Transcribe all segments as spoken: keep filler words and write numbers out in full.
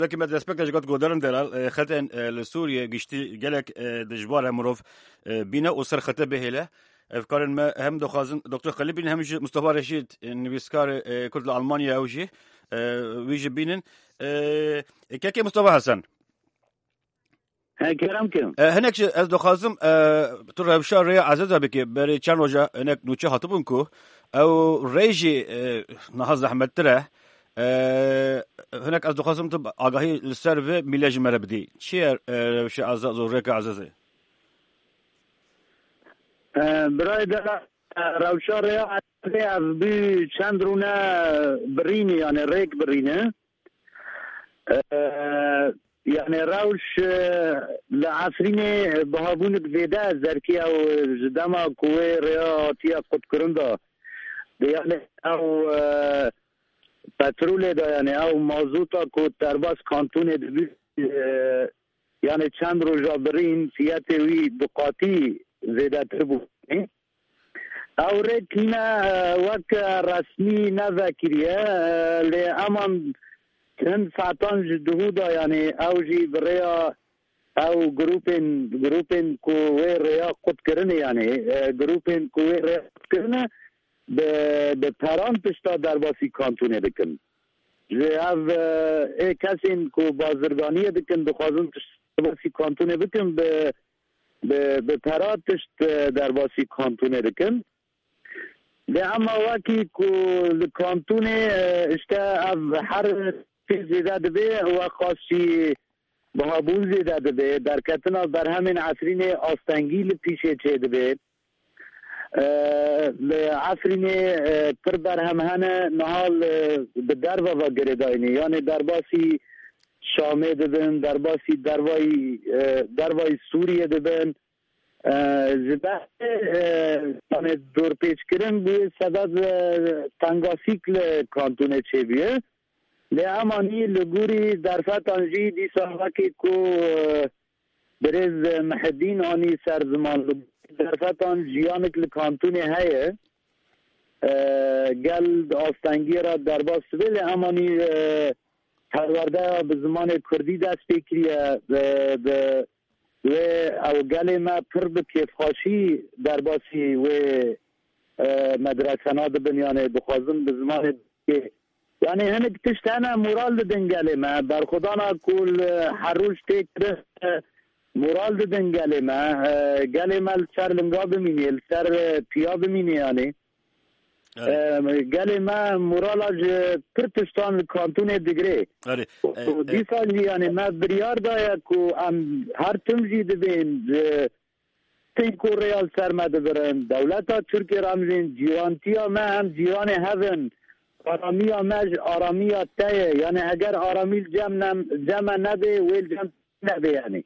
Wekî me destpêk de ji got godarin delal, e, xetên, e, li Sûriyê giştî gelek, e, dijbar e mirov, e, bîne û ser xete bihêle. Ev karên me hem dixwazin Doktor Xelîl bînin hem jî Mustafa Reşîd, e, nivîskar, e, Kurd li Almanya ew jî, e, wî jî bînin. E, e, kekê Mustafa Hesen. He, kerem kim. E, hinek jî ez dixwazim, e, tu rewşa rêya Ezeza bikî. Berê çend roja hinek nûçe hatibûn ku ew rê jî, e, niha zehmettir e. E, hinek ez dixwazim tu agahî li ser vê mîle ji me re bidî. Çi ye, e, rewşa Ezeza û rêka Ezezê? E, birayê delal, e, rewşa rêya Ezezê ev bû çend rûne birînî, yani rêk birîne. E, yani rewş, e, li Efrînê bihabûnik zêde zerkî ew ji dema ku wê rêya hatiye qutkirin de. De yani ew, e, petrolê de yani ew mazota ku derbas kantonê dibî, e, yani çend roja birîn fiyetê wî bi qatî zêdetir bû. Ew rêk hîne, e, wek, e, resmî nevekiriye, e, lê eman hin saetan ji duhû de, yani ew jî bi rêya ew grûpên, grûpên ku wê rêya qut kirine, yani, e, grûpên ku wê rêya qut kirine, bi, bi peran tişta derbasî kantonê dikin. Ji ev, e, ê kesên ku bazirganiyê dikin, dixwazin tişta derbasî kantonê bikin, bi, bi, bi pera tişt, e, derbasî kantonê dikin. Lê ema wekî ku li kantonê, e, işte ev her tê zêde dibe, weqas jî bihabûn zêde dibe, derketina berhemên Efrînê astengî li pîşê çêdibe. E, li Efrînê, e, pir berhem hene, niha li, bi derve ve girêdayî ne. Yanê derbasî Şamê dibin, derbasî dervayî, e, dervayî Sûriyê dibin. E, ji ber, e, yanê dorpêçkirin bûye sebeb, e, tengasîk li kantonê çêbûye. Lê emanî li gorî derfetan jî dîsa wekî ku, e, birêz Mihedîn anî ser ziman, li gorî derfetan jiyanek li kantonê heye. E, gel di astengiyê re derbas dibe, lê emanî, e, perwerdeya bi zimanê kurdî dest pê kiriye, e, bi wê ew gelê me pir bi kêfxweşî derbasî wê, e, medresena dibin, yanê dixwazin bi zimanê kê. Yanê hinek tişt hene moral didin gelê me. Berxwedana ku li her roj tê kirin, e, moral didin gelê me. E, gelê me li ser linga bimînê, li ser, e, piya bimînê yanê. Erê. E, gelê me morala ji pir tiştan li kantonê digirê. Erê. E, e, dîsa jî yanê me biryar daye ku em her tim jî dibên, e, tên ku rêya li ser me dibirin. Dewleta Tirkiyê re em jî cîrantiya me, em cîranê hev in. Aramiya me ji aramiya te ye. Yanê eger aramî li cem ne, cem me nebe, wê li cem nebe yanî.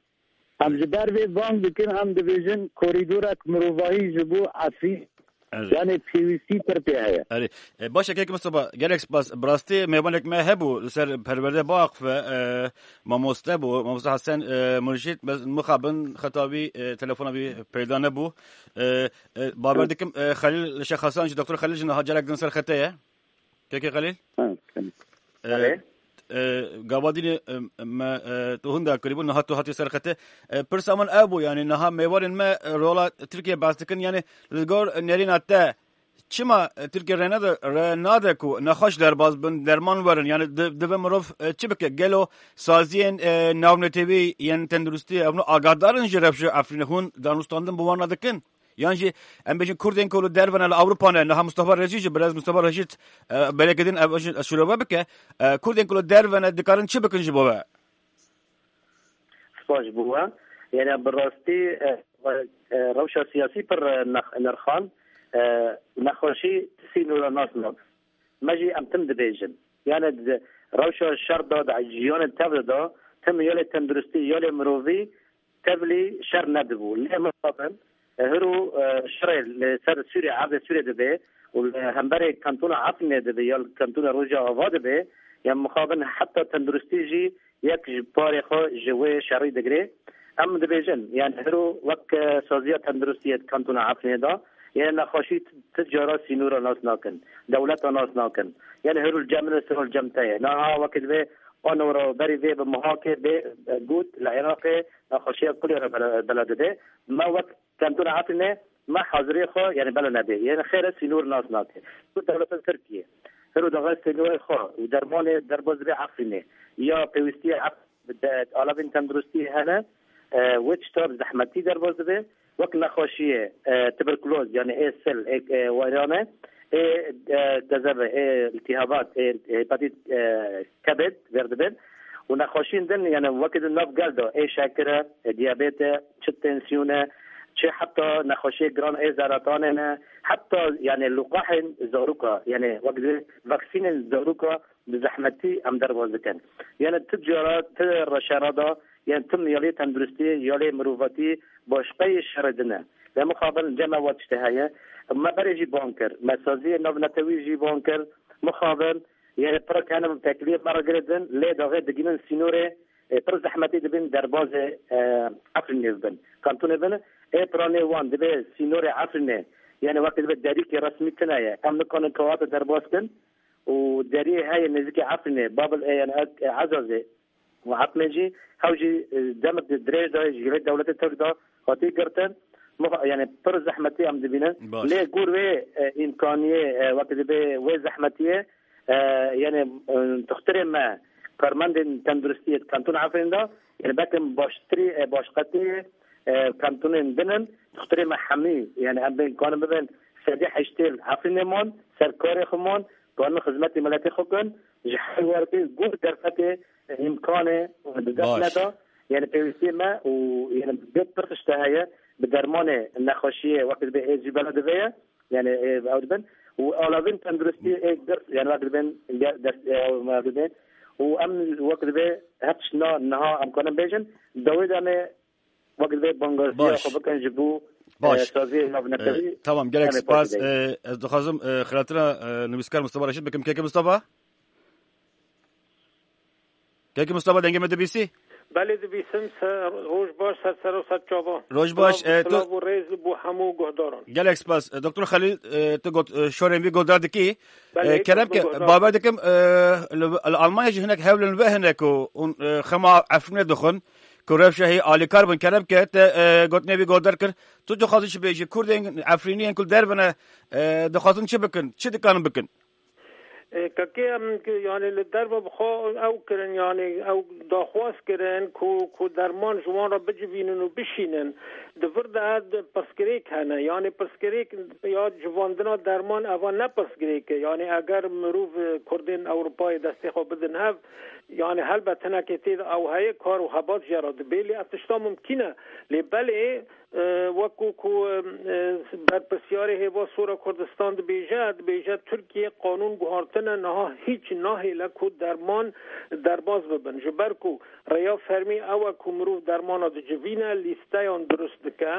Em ji ber vê bang dikin, em dibêjin korîdorek mirovahî ji bo Efrîn. Erê. Yanê pêwîstî pir pê heye. Erê. E, baş e, kek Mustafa, gelek spas. Bi rastî mêvanek me hebû li ser perwerde biaxife, e, mamoste bû, mamoste Hesen, e, Murşîd, bes mixabin xeta wî, e, telefona wî peyda nebû. E, e, bawer dikim, e, Xelîl Şêx Hasan jî, Doktor Xelîl jî niha carek din ser xete ye. Kekê Xelîl? Ha, tamam. E, Erê. e, gava dînê, e, me, e, tu hunda kirîbû, niha tu hatî ser xete. E, pirsa min ev bû, yanî niha mêvarên me, e, rola Tirkiye behs dikin, yanî li gor nerîna te çima, e, Tirkiye rê nade, rê nade ku nexweş derbas bin, derman werin, yanî di-, divê mirov, e, çi bike? Gelo saziyên, e, navnetewî yên tenduristî evno agahdar in ji rewşa Efrînê, hûn danûstandin bi wan re dikin? Yan jî em bêjin Kurdên ku li derve ne, li Ewropa ne, niha Mustafa Reşîd jî, birêz Mustafa Reşîd, e, belê ke din ev jî şirove bike. E, Kurdên ku li derve ne dikarin çi bikin ji bo we? Spas ji bo we. Yani bi rastî, e, e, rewşa siyasî pir, e, nex-, nirxan, e, nexweşî sînora nas nabe. Me jî em tim dibêjin. Yani di rewşa şer de, di jiyanê tevlî de, tim ya lê tenduristî ya lê mirovî tevlî şer nedibû. Lê mixabin, e, hiro, e, şerê li ser Sûriyê, erdê Sûriyê dibe û li hemberê kantona Efrînê dibe ya li kantona Rojava dibe, ya mixabin heta tenduristî jî yek ji parê xwe ji wê şerî digire. Em dibêjin, yani hiro wek, e, saziya tenduristiyê di kantona Efrînê de, yani nexweşî ti, ti cara sînora nas nakin, dewleta nas nakin. Yani hiro li cem min, li cem te ye. Niha wekî divê Anora berî vê bi muhakê bê, e, got, li Iraqê nexweşiya kulê re bela, bela dibe. Me wek kantona Efrînê me haziriyê xwe, yani bela nebê. Yani xêre sînor nas nake. Ku dewleta Tirkiye. Hero daxê sînorê xwe û dermanê derbas dibe Efrînê. Ya pêwîstiye Ef-, de, alavên tenduristiyê hene, e, wê tişta bi zehmetî derbas dibe. Wek nexweşiyê, e, tuberkuloz, yani ê sil, ê, e, wêrane, ê, e, tezeve, ê iltihabat, ê hepatit, e, kebid ver dibin. Û nexweşiyên din, yani wekî di nav gel de, ê şekir e, ê diyabet e, çi tensiyon e, çi heta nexweşiyê giran ê zeratanê ne, heta yani liqahên zaroka, yani wek di vaksînên zaroka bi zehmetî em derbas dikin. Yani tu cara, tu reşera da, yani tu miyalê tenduristî, yalê mirovatî, başqeyê şerê din e. Ve mixabin cem me wa tiştê heye. Me berê jî ban kir. Me saziyê navnetewî jî ban kir. Mixabin, yani pira kene tekliyê me re girêdin. Lê daxê digînin sînorê, e, pir zehmetî dibin derbazê, e, Efrînê bibin. Kantonê bin, ê piranê wan dibe sînorê Efrînê. Yani wekî dibe derîkê resmî tune ye. Em nikanin kewata derbas kin. Û deriyê heye nêzîkî Efrînê, Babil e, yani, e, Ezazê û Etmê jî, hew jî, e, demek dirêj de ji vê dewletê Tirk de hatî girtin. Muha-, yani pir zehmetî em dibînin. Baş. Lê gor wê, e, îmkaniyê, e, wekî dibe wê zehmetiyê, e, yani, e, dixtirê me, karmendên tenduristiyê di kantona Efrîn de, yani belkim baştirî, e, başqetî, e, kantonên din in, dixtirê me hemî, yani em bên kanin bibin sedî heştê li Efrînê man, ser karê xwe man, kanin xizmetê miletê xwe kin, ji her wertê gor derfetê, e, îmkanê, e, bi dest Baş. neda, yani pêwîstiyê me û yani bi pir tişte heye, bi dermanê nexweşiyê wekî dibe ê jî bela divê ye, yani, e, ew dibin. Û alavên tenduristiyê ê girs, yani wekî dibin, ge-, dest, e, ew dibin. Û em wekî dibe her tişt na niha em kanin bêjin, dawê de em ê wek divê bangewaziya Baş. xwe bikin ji bo, Baş. e, saziyê navnetewî. E, tamam, gelek em ê spas. Parçe E, ez dixwazim, e, xiratina, e, nivîskar Mustafa Reşîd bikim. Keke Mustafa? Keke Mustafa, dengê me dibîsî? Belê dibîsim, ser, roj baş, ser ser û ser çavan. Roj baş, Silav, e, tu silav û rêz bo hemû guhdaran. Gelek spas. E, Doktor Xelîl, e, tu got, e, şorên vî guhdar dikî. Belê, E, kerem ke, guhdar. Bawer dikim, e, li, li Almanya jî hinek hewlin ve hene ku hûn, e, xema Efrînê dixwin, ku rewşa hê alîkar bin. Kerem ke te, e, gotinê vî guhdar kir. Tu dixwazî çi bêjî? Kurdên Efrîniyên ku li derve ne, e, dixwazin çi bikin? Çi dikarin bikin? E, kekê em ki, yani li derve bi xwe ew kirin, yani ew daxwaz kirin ku, ku derman ji wan re bicivînin û bişînin. Di vir de pirsgirêk hene. Yani pirsgirêk ya civandina derman eva ne pirsgirêk e. Yani eger mirov, e, Kurdên Ewropayê destê xwe bidin hev, yani helbet hinekê tê de ew heye kar û hebat jê re dibê. Lê ev tişta mimkîn e. Lê belê, e, wekû ku, e, berpirsyarê Hêva Sor a Kurdistan dibêje, dibêje Tirkiye qanûn guhartine, niha hîç nahêle ku derman derbas bibin. Ji ber ku rêya fermî ew e ku mirov dermana dicivîne, lîsteyan dirust dike.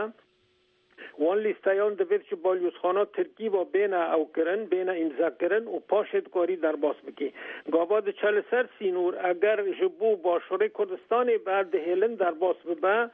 Wan lîsteyan divêt ji balyozxana Tirkî ve bêne ew kirin, bêne îmzekirin û paşê dikarî derbas bikî. Gava diçe li ser sînor, eger ji bo Başûrê Kurdistanê berdihêlin derbas bibe,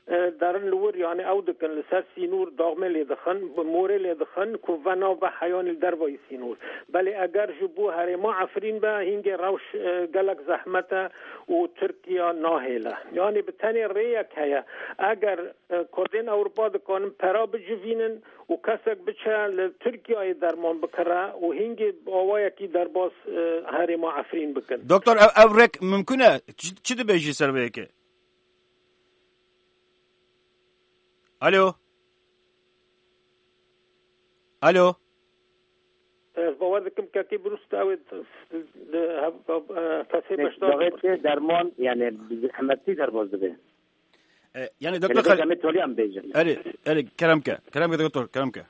e, derin li wir, yani ew dikin, li ser sînor daxmê lê dixin, morê lê dixin, ku ve nave heyanî li dervayî sînor. Belê eger ji bo herêma Efrîn be, hingê rewş, e, gelek zehmet e û Tirkiye nahêle. Yani bi tenê rêyek heye. Eger, e, Kurdên Ewropa dikanin pera bicivînin û kesek biçe li Tirkiyeyê derman bikire û hingê bi awayekî derbas, e, herêma Efrîn bikin. Doktor, ev, ev rêk mimkun e? Çi, çi dibêjî ser vê yekê? Alo? Alo? Ez bawer dikim kekê birust ew ê di, di, hev-, hev-, e, kesê Nek beşdar dawet bibir. Derman, yani, bi zehmetî derbas dibe. E, yani, Yani, Doktor Xel- em ê tolî em bêjin. Erê, erê, kerem ke. Kerem ke, Doktor, kerem ke.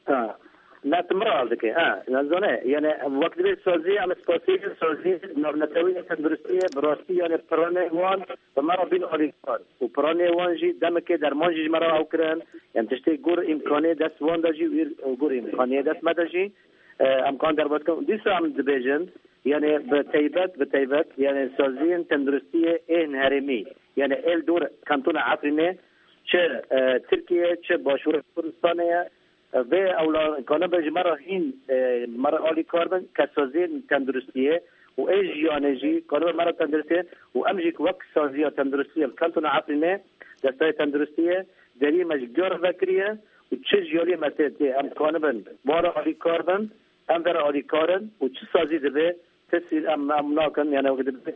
Ha. Ne, tu min re hal dike. Ha, ne zane. Yani, wek divê sazî, em spasî, sazî, navnetewî, tenduristiyê, bi rastî, yani, piranê wan, bi me re bîn alîkar. Û piranê wan jî demekê derman jî ji me re ew kirin. Yani, tiştê gur îmkanê dest wan de jî, wîr gur îmkanê dest me de jî, e, em kan derbas kin. Dîsa em dibêjin, yani, bi teybet, bi teybet, yani, saziyên tenduristiyê ên herêmî, yani, êl dor kantona Efrînê, çi, e, Tirkiye, çi Başûrê Kurdistanê ye, e, vê ewla kanibe ji me re hîn, e, me re alîkar bin, kesaziyên tenduristiyê, û ê jiyanê jî karibe me re tenduristiyê û em jî wek saziya tenduristiyê li kantona Efrînê, desteyê tenduristiyê deriyê me ji gor vekiriye û çi jiyaliyê me tê tê em kanibin bara alîkar bin, em vera alîkar in û çi sazî dibe, tesîr em, em nakin, yani wek dibe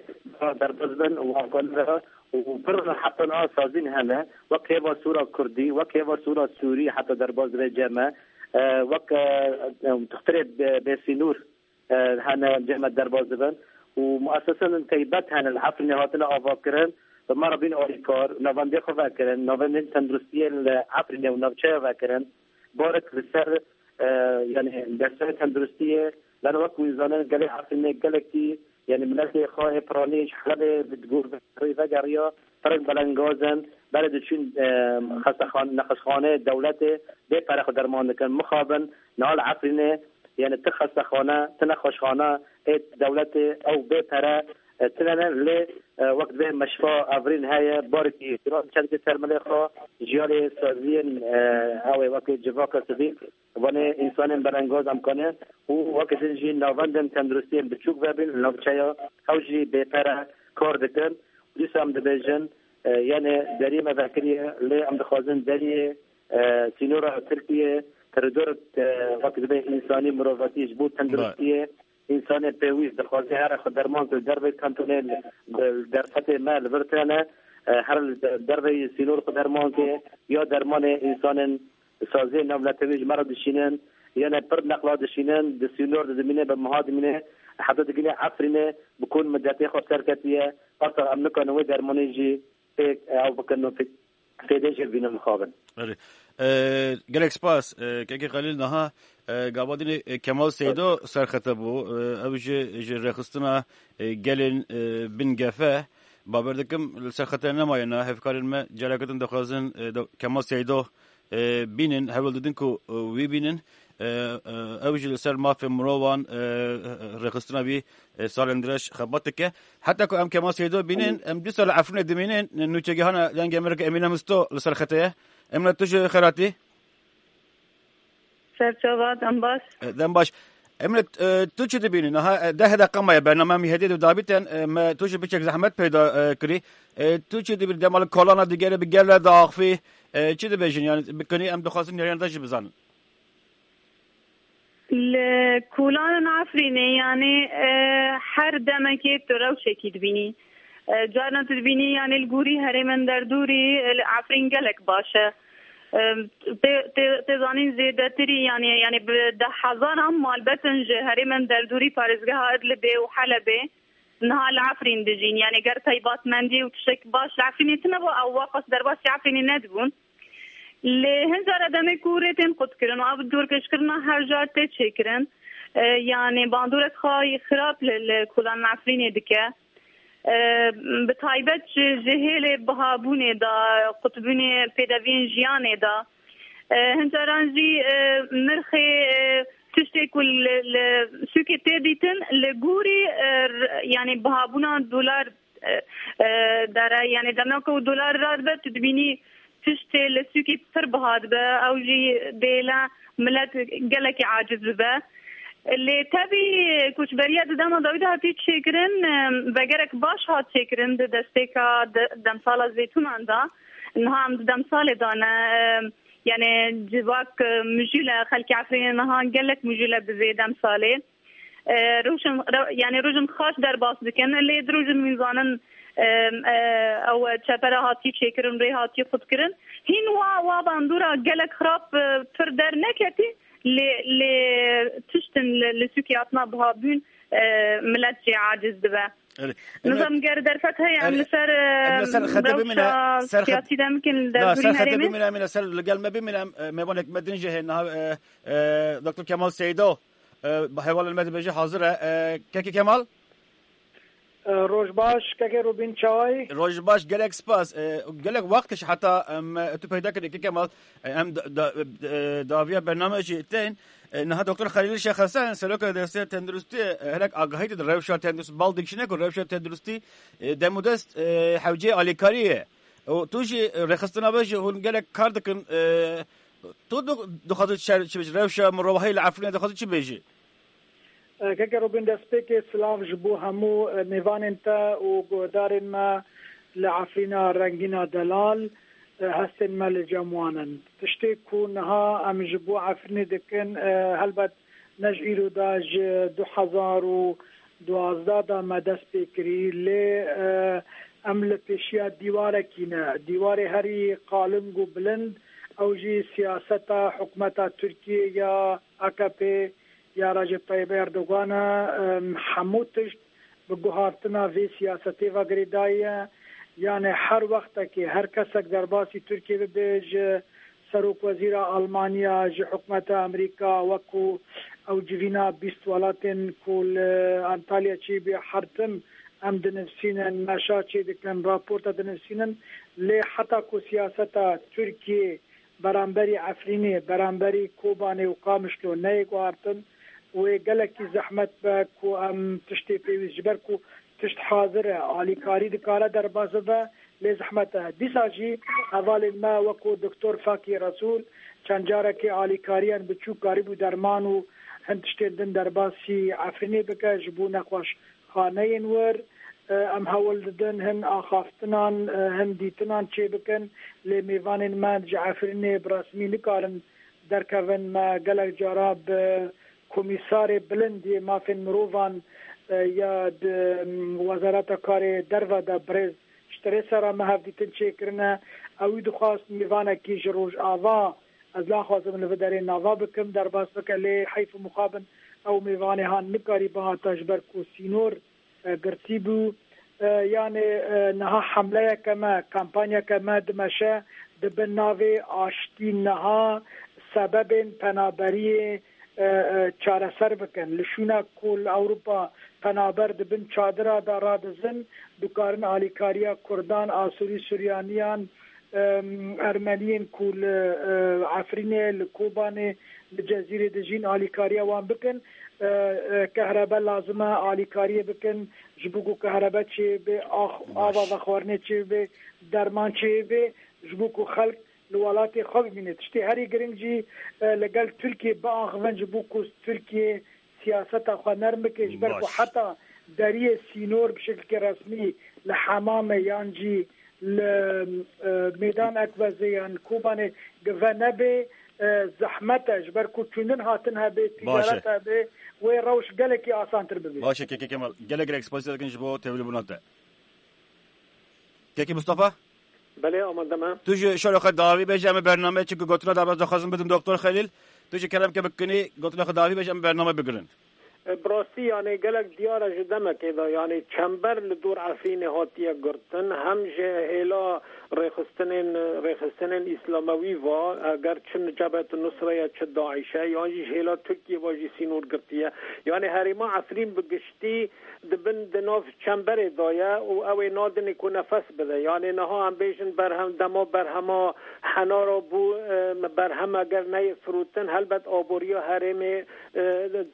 derbaz bin û em kanibin û bir heta niha sazîn hene, wek hêva Sûra Kurdî, wek hêva Sûra Sûrî heta derbaz dibe cem me, e, wek, e, e, dixtirê bê, bêsînûr e, hene cem me derbaz dibin û muesesên taybet hene li Efrînê hatine avakirin, bi me re bîn alîkar, navendê xwe vekirin, navendên tenduristiyê li Efrînê û navçeya vekirin. Barik li ser, e, yani desteyê tenduristiyê, lano wek wî zanin gelê Efrînê gelekî, yani miletê xwe ê piranî ji Helebê bi gor vegeriya, Pirek belengaz in, berê diçûn, e, xestexan-, nexweşxaneyê dewletê bê pere xwe derman dikin. Mixabin, niha li Efrînê, yani ti xestexane, ti nexweşxane ê dewletê ew bê pere, e, tine ne, lê, e, wek divê meşfa Efrîn heye, barekî giran çendikê ser milê xwe, jiyalê saziyên, e, ew ê wekî civaka sivîl, vanê însanên belengaz em kane û weke din jî navendên tenduristiyên biçûk vebin li navçeya ew jî bêpere kar dikin. Dîsa em dibêjin, e, yani deriyê me vekiriye, lê em dixwazin deriyê, e, sînora Tirkiyê, koridor, e, wek dibe însanî mirovatî ji bo tenduristiyê, însanê pêwîst dixwaze here xwe derman ke li dervê kantonê li, li derfetê me li vir tene, e, here li de-, dervê sînor xwe derman ke ya dermanê însanên saziyê navnetewî ji me re dişînin, yane pir neqla dişînin, di sînor de dimîne, bi meha dimîne, heta digine Efrînê bi kon midetê xwe serketiye, arta em nikarin wê dermanê jî pêk, e, ew bikin û fê-, fêdê jê bînin mixabin. Erê. E, gelek spas. E, Kekê Xelîl niha, e, gava dinê, e, Kemal Seydo serxete bû. E, ew ji, ji rêxistina, e, gelên, e, bin gefe. Bawer dikim li serxete nemaye niha. Hevkarên me careke din dixwazin, e, do-, Kemal Seydo e, bînin, hewl didin ku, e, wî bînin. E, e, ew jî li ser mafê mirovan, e, e, rêxistina wî, e, salên dirêj xebat dike. Heta ku em Kemal Seydo bînin, em dîsa li Efrînê dimînin, nûçegihana Dengê Amerîka Emîne Misto li ser xetê ye. Emîne, tu ji xêr hatî? Serçava, dem baş. E, dem baş. Emîne, e, tu çi dibînî? Niha, e, deh deqa maye bername em hêdî di dabîten, e, me tu jî biçek zehmet peyda, e, kirî. E, tu çi dibînî? Dema li kolana digere bi gel re diaxivî, e, çi dibêjin? Yani, bi kinî em dixwazin nêrîna te jî bizanin. Li kolanên Efrînê, yani, e, her demekê tu rewşekî dibînî. E, carna tu dibînî, yani, li gorî herêmên derdorî, e, li Efrîn gelek baş e. Em, tê, tê, tê zanîn zêdetirî, yani, yani bi deh hezaran malbetin ji herêmên derdorî parêzgeha Idlibê û Helebê niha li Efrîn dijîn. Yani ger taybetmendî û tiştek baş li Efrînê tune bû, ew waqas derbasî Efrînê nedibûn. Lê hin cara demê ku rê tên qutkirin û ev dorpêçkirina her car tê çêkirin, e, yani bandorek xwe xirab li, li kolan Efrînê dike. E, bi taybet ji, ji hêlê bihabûnê de, qutbûnê pêdeviyên jiyanê de, e, hin caran jî, e, nirxê, e, tiştê ku li, li sûkê tê dîtin, li gorî, e, r-, yani bihabûna dolar, e, e, dere, yani demeka ku dolar radibe, tu dibînî tiştê li sûkê pir biha dibe, ew jî bêle milet gelekî aciz bibe. Lê tevî koçberiya di dema dawî de hatî çêkirin, em, vegerek baş hat çêkirin di destpêka de-, demsala zeytûnan de. Niha em di demsalê de ne, em, yani civak, e, mijûl e, xelkê Efrînê niha gelek mijûl e bi vê demsalê. E, rojin, re-, yani rojin xaş derbas dikin, lê di rojin wî zanin, e, e, ew çepere hatî çêkirin, rê hatî xutkirin. Hîn wa, wa bandora gelek xirab, e, pir derneketî, lê, lê tiştin li, li sûkê hatina bihabûn, e, milet jê aciz dibe. Erê. Nizam ger derfet heye, em li ser, em li ser, e, xetê bimîne, rewşa ser xet-, siyasî de bikin li na, ser derdorî xetê herêmê. Bimîne, em li ser li gel me bimîne, em, e, mêvanekî me din jî heye niha, e, e, Doktor Kemal Seydo. E, hevalên me dibêje hazir e. E, Kekê Kemal? E, roj baş, Kekê Rûbîn, çawayî? Roj baş, gelek spas. E, gelek wext kişt heta em, e, tu peyda kirî, Kekê Kemal. E, em da, da, e, dawiya bername jî tên. E, niha Doktor Xelîl Şêx Hesen, seroka Desteya Tenduristî, e, hinek agahî dide rewşa tenduristî, bal dikişîne ku rewşa tenduristî, e, dem û dest, e, hewceyê alîkarî ye. Û tu jî, e, rêxistina we jî hûn gelek kar dikin, e, Tu du-, dixwazî çi, çi bêjî? Rewşa mirovahî li Efrînê dixwazî çi bêjî? Keke Robîn, destpêkê silav ji bo hemû mêvanên te û guhdarên me li Efrîna rengîna delal, hestên me li cem wan in. Tiştê ku niha em ji bo Efrînê dikin, helbet ne ji îro de, ji du hezar û duwazdeh de me dest pê kirî, lê em li pêşiya dîwarekî ne. Dîwarê herî qaling û bilind, ew jî siyaseta hikûmeta Tirkiyê ya A K P ya Recep Tayyip Erdogan e. Em, hemû tişt bi guhartina vê siyasetê ve girêdayî ye. Yani her wextekê her kesek derbasî Tirkiyê bibe, ji serokwezîra Almanya, ji hikûmeta Amerîka, wekû ew civîna bîst welatên ku li Antalya çêbî, her tim em dinivîsînin, meşa çêdikin, raporta dinivîsînin. Lê heta ku siyaseta Tirkiyê beramberî Efrînê, beramberî Kobanê û Qamişlo neyê guhartin, wê gelekî zehmet be ku em tiştê pêwîst, ji ber ku tişt hazir e, alîkarî dikare derbas bibe, lê zehmet e. Dîsa jî hevalên me wekû Doktor Fakî Resûl çend carekê alîkariyan biçûk karîbû derman û hin tiştên din derbasî Efrînê bike ji bo nexweş xaneyên wir. Em hewl didin hin axaftinan, hin dîtinan çêbikin, lê mêvanên me ji Efrînê bi resmî nikarin derkevin. Me gelek cara bi komîsarê bilind yê mafên mirovan ya di Wezareta Karê Derve de birêz Ştirêsera me hevdîtin çêkirine. Ewî dixwast mêvanekî ji Rojava, ez naxwazim li vê derê nava bikim, derbas bike, lê heyf û mixabin ew mêvanê han nikarî bihata ji ber ku sînor e, girtî bû. E, yani, e, niha hemleyeke me, kampanyeke me dimeşe, di bin navê aştî niha sebebên penaberiyê, e, e, çareser bikin. Li şûna ku li Ewropa penaber di bin çadira de radizin, dikarin alîkariya Kurdan, Asûrî, Suryaniyan, em, Ermeniyên ku li, e, Efrînê, li Kobanê, li Cezîrê dijîn alîkariya wan bikin. E, e, kehrebe lazim e alîkariyê bikin, ji bo ku kehrebe çêbe, ax-, ava vexwarinê çêbe, derman çêbe, ji bo ku xelk li welatê xwe bimîne. Tiştê herî giring jî, e, li gel Tirkiyê biaxivin, ji bo ku Tirkiye siyaseta xwe nerm bike, ji ber ku heta deriyê sînor bi şekilkê resmî li Hemamê yan jî li, e, Meydan Ekvezê yan Kobanê give nebe, e, zehmet e, ji ber ku çûndin hatin hebe, ticaret hebe, wê rewş gelekî asantir bibe. Baş e, Keke Kemal. Gelek gelek spasiya dikin ji bo tevlîbûna te. Keke Mustafa? Belê, amade me. Tu ji şerê xwe dawî bêje, em ê bername, çunku gotina derbas dixwazim bidim Doktor Xelîl. Tu ji kerem ke bikinî, gotina xwe dawî bêje, em ê bername bigirin. E, bi rastî, yani, gelek diyar e ji demekê de, yani, çember li dor Efrînê hatiye girtin, hem ji hêla rêxistinên, rêxistinên îslamewî va, eger çi Cebhet Nusre ye, çi DAIŞ e, yan jî ji hêla Tirkiyê va jî sînor girtiye. Yani, herêma Efrîn bi giştî di bin, di nav çemberê de ye û ew ê nadinê ku nefes bide. Yani, niha em bêjin berhem, dema berhema Henara bû, e, berhem eger neyê firotin, helbet aboriya herêmê, e,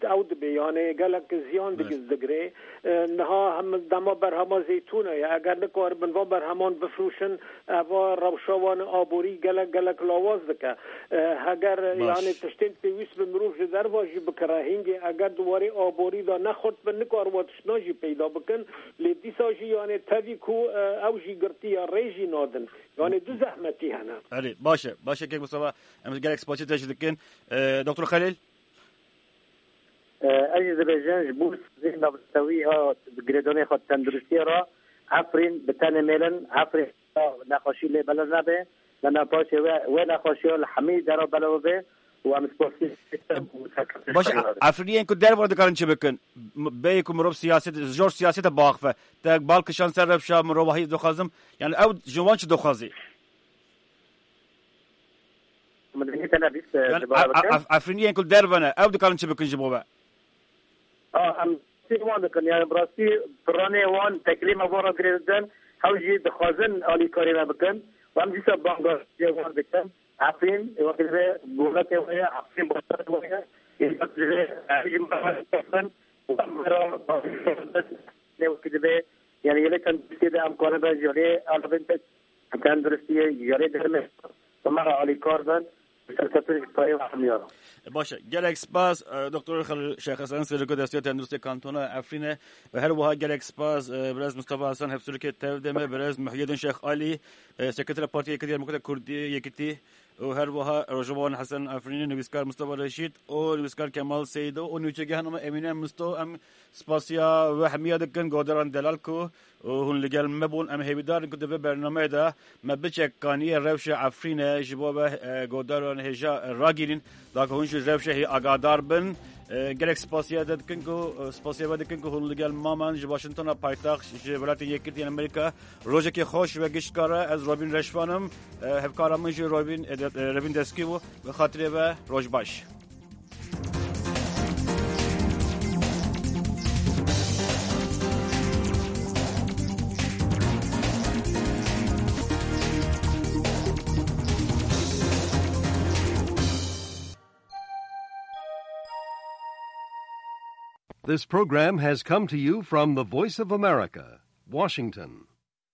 ew dibe, yani gelek ziyan digiz digre. E, niha hem dema berhema zeytûna ye. Eger nikaribin van berheman bifroşin, eva rewşa wan aborî gelek, gelek lawaz dike. E, heger, yani, tiştên pêwîst bi mirov ji derva jî bikire, hingê eger di warê aborî de nexurt bin, nikariba tiştna jî peyda bikin. Lê dîsa jî, yani, tevî ku, e, ew jî girtiye, rê jî nadin. Yani, du zehmetî hene. Erê, baş e. Baş e, Kek Mustafa. Em gelek spasî te jî dikin. E, Doktor Xelîl? E, ez jî dibêjim, ji bo saziyên navdewî ya girêdanê xwe tenduristiye re, Efrîn bi tenê mêlin, Efrîn nexweşî lê belav nebe, lê paşê wê, wê nexweşiya li hemî dera belav be û em spasî Baş e, Efrîniyên ku derve dikarin çi bikin? M-, bê ku mirov siyaset, jor siyasete biaxife. Te bal kişand ser rewşa mirovahî dixwazim. Yani ew ji wan çi dixwazî? Min dengê te nebîst, e, Yani, ji bara a, a, bikin. Af-, Efrîniyên ku derve ne, ew dikarin çi bikin ji bo we? A, em tê wan dikin, yani bi rastî piranê wan, teklîma wan re girê didin, hew jî dixwazin alîkarî me bikin. Û em dîsa banga jê wan dikin. Efrîn, ê wekî divê goletê we ye, Efrîn başarê we ye. Ê wekî divê, em jî me re bikin. Û em re ne wekî divê, yani yê lê tenduristiyê de em karibin ji lê alibin te tenduristiyê, ji lê dermê, bi me re alîkar bin. Serketin payê hemiya. Baş e. Gelek spas, e, Doktor Xel-, Şêx Hesen, Serokê Desteya Tenduristê Kantona Efrîne, ve her wiha gelek spas, e, birez Mustafa Hasan, hevsûrikê Tevdemê, birez Muhyiddin Şêx Alî, e, Sekretera Partiya Yekitî Demokrata Kurdî, Yekitî, û her wiha Rojava Hesen Efrînî, nivîskar Mustafa Reşîd û nivîskar Kemal Seydo û nûçegeh hanima Emîne Misto. Em spasiya we hemiya dikin, godaran delal ku û hûn li gel me bûn. Em hêvîdar in ku di vê bernameyê de me biçek kaniye rewşa Efrîne ji bo ve, e, godaran hêja, e, ragirîn, da ku hûn ji rewşa hê agadar bin. E, gelek spasiya te dikin ku, e, spasiya we dikin ku hûn li gel maman ji Washingtona paytaxt, ji Welatên Yekgirtî yên Amerîka. Rojekê xweş we giştkare, ez Robîn Reşvan im. E, hevkara min jî Robîn, e, de-, e, Revîn Deskî bû. Bi xatirê ve roj baş. This program has come to you from the Voice of America, Washington.